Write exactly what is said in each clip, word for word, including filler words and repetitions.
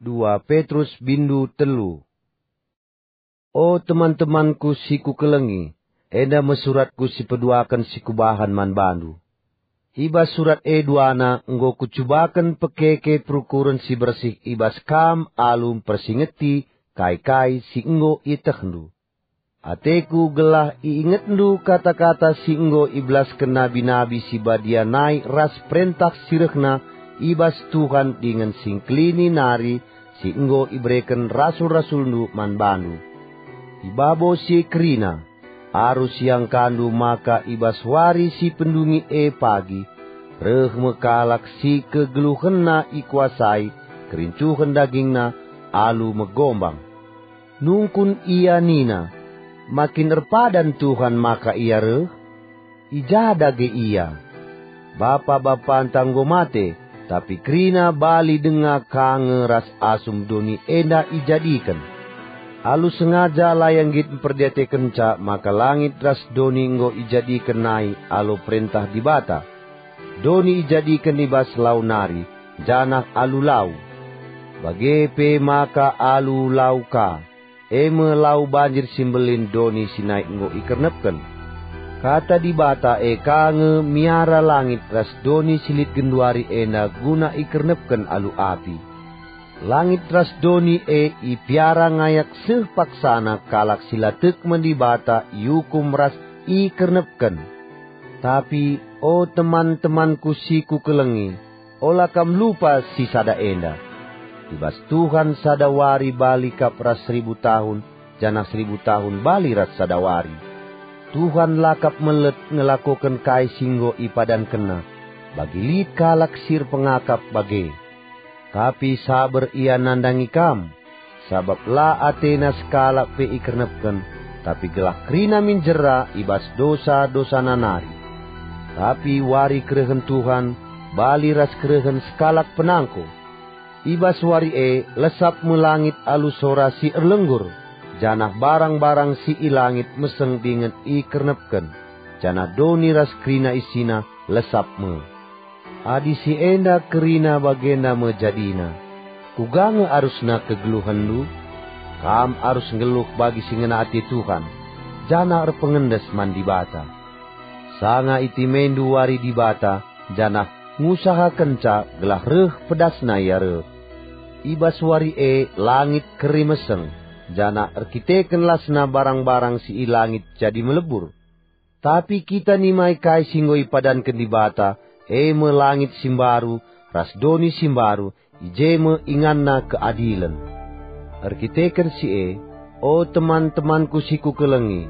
Dua Petrus bindu telu. O teman-temanku si kukelengi, enda me suratku si peduaken si kubahan man bandu. I bas surat e duana enggo kucubaken pekeke perukuren si bersih i bas kam alu mpersingeti kai-kai si enggo ietehndu. Ateku gelah iingetndu kata-kata si enggo ibelasken nabi-nabi si badia nai ras perentah si rehna i bas Tuhan dingen si ngkelini nari si enggo ibereken rasul-rasulndu man bandu. I babo si kerina, arus iangkandu maka i bas wari si pendungi e pagi, reh me kalak si kegeluhenna ikuasai kerincuhen dagingna alu megombang. Nungkun ia nina, "Ma kin erpadan Tuhan maka ia reh? I ja dage ia? Bapa-bapanta enggo mate, tapi kerina bali denga ka nge ras asum doni enda ijadiken." Alu sengaja la ia nggit mperdiatekenca maka langit ras doni enggo ijadiken nai alu perentah Dibata. Doni ijadiken i bas lau nari, janah alu lau. Bage pe maka alu lau ka, e me lau banjir si mbelin doni si nai enggo ikernepken. Kata Dibata e ka nge miara langit ras doni si lit genduari enda guna ikernepken alu api. Langit ras doni e ipiara ngayak seh paksana kalak si la tek man Dibata iukum ras ikernepken. Tapi, o teman-temanku si kukelengi, ola kam lupa si sada enda. I bas Tuhan sada wari bali kap ras seribu tahun, janah seribu tahun bali ras sada wari. Tuhan la kap melet ngelakoken kai si enggo ipadankenNa, bagi lit kalak si erpengakap bage. Tapi saber ia nandangi kam, sabap la atena sekalak pe ikernepken, tapi gelah kerina min jera i bas dosa-dosana nari. Tapi wari kerehen Tuhan bali ras kerehen sekalak penangko. I bas wari e lesap me langit alu sora si erlenggur, janah barang-barang si i langit meseng dingen ikernepken, janah doni ras kerina isina lesap me. Adi si enda kerina bagenda me jadina, kuga nge arusna kegeluhenndu? Kam arus nggeluh bagi si ngena ate Tuhan, janah erpengendes man Dibata. Sanga itimendu wari Dibata, janah ngusahakenca gelah reh pedasna ia reh. I bas wari e langit keri meseng, janah erkiteken lasna barang-barang si i langit jadi melebur. Tapi kita nimai kai si enggo ipadanken Dibata, e me langit si mbaru ras doni si mbaru, i je me inganna keadilen. Erkiteken si e, o teman-temanku si kukelengi,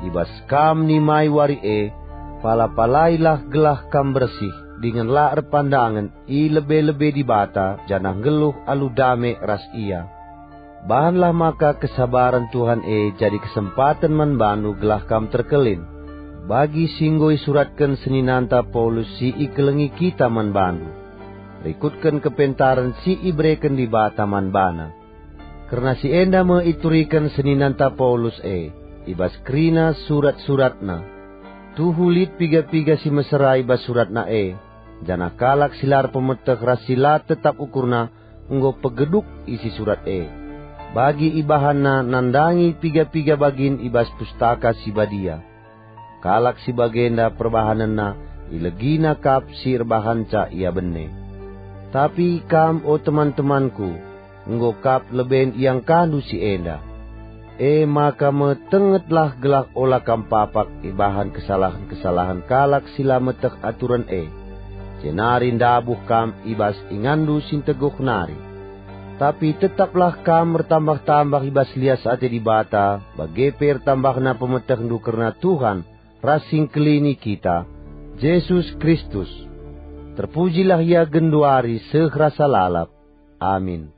i bas kam nimai wari e, pala-palailah gelah kam bersih dingen la erpandangen i lebe-lebe Dibata janah nggeluh alu dame ras Ia. Bahanlah maka kesabaren Tuhan e jadi kesempaten man bandu gelah kam terkelin, bagi si enggo isuratken seninanta Paulus si ikelengi kita man bandu. Rikutken kepentaren si ibereken Dibata man bana. Kerna si enda me ituriken seninanta Paulus e, i bas kerina surat-suratna. Tuhu lit piga-piga si mesera i bas suratna e, janah kalak si la erpemeteh ras si la tetap ukurna enggo pegeduk isi surat e. Bagi ibahanna nandangi piga-piga bagin i bas Pustaka Si Badia. Kalak si bagenda perbahanenna ilegina kap si erbahanca ia bene. Tapi kam, o teman-temanku, enggo kap leben iangkandu si enda. E maka metengetlah gelah ola kam papak ibahan kesalahen-kesalahen kalak si la meteh aturen e, jenari ndabuh kam i bas inganndu si nteguh nari. Tapi tetaplah kam ertambah-tambah i bas lias ate Dibata, bage pe ertambahna pemetehndu kerna Tuhan ras si Engkelini kita, Jesus Kristus. Terpujilah Ia genduari seh rasa lalap. Amin.